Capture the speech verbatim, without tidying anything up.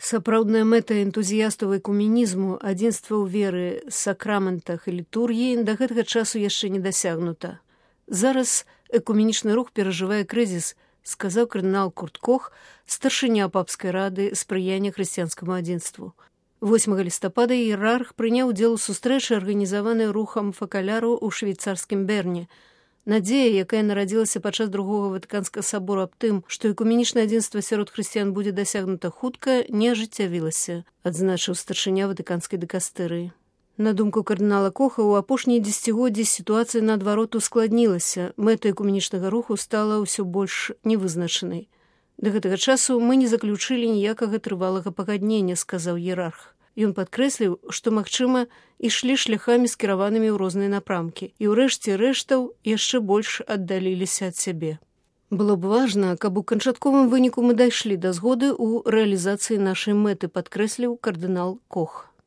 Сапраўдная мэта энтузіястаў экуменізму, адзінства ў веры, сакраментах і літургіі да гэтага часу яшчэ не дасягнута. Зараз экуменічны рух перажывае крызіс, сказаў кардынал Курт Кох, старшыня папскай рады спрыяння хрысціянскаму адзінству. восьмага лістапада іерарх прыняў удзел у сустрэчы, арганізаванай рухам факаляру ў швейцарскім Берне. Надзея, якая нарадзілася падчас другога ватыканскага сабору аб тым, што экуменічнае адзінства сярод хрысціян будзе дасягнута хутка, не ажыццявілася, адзначыў старшыня ватыканскай дыкастэрыі. На думку кардынала Коха, у апошнія дзесяцігоддзі сітуацыя наадварот ускладнілася, мэта экуменічнага руху стала ўсё больш невызначанай. Да гэтага часу мы не заключылі ніякага трывалага пагаднення, сказаў іерарх. Ён падкрэсліў, што, магчыма, ішлі шляхамі скіраванымі ў розныя напрамкі, і ўрэшце рэштаў яшчэ больш аддаліліся ад сябе. Было б важна, каб у канчатковым выніку мы дайшлі да згоды ў рэалізацыі нашай мэты, падкрэсліў кардынал Кох.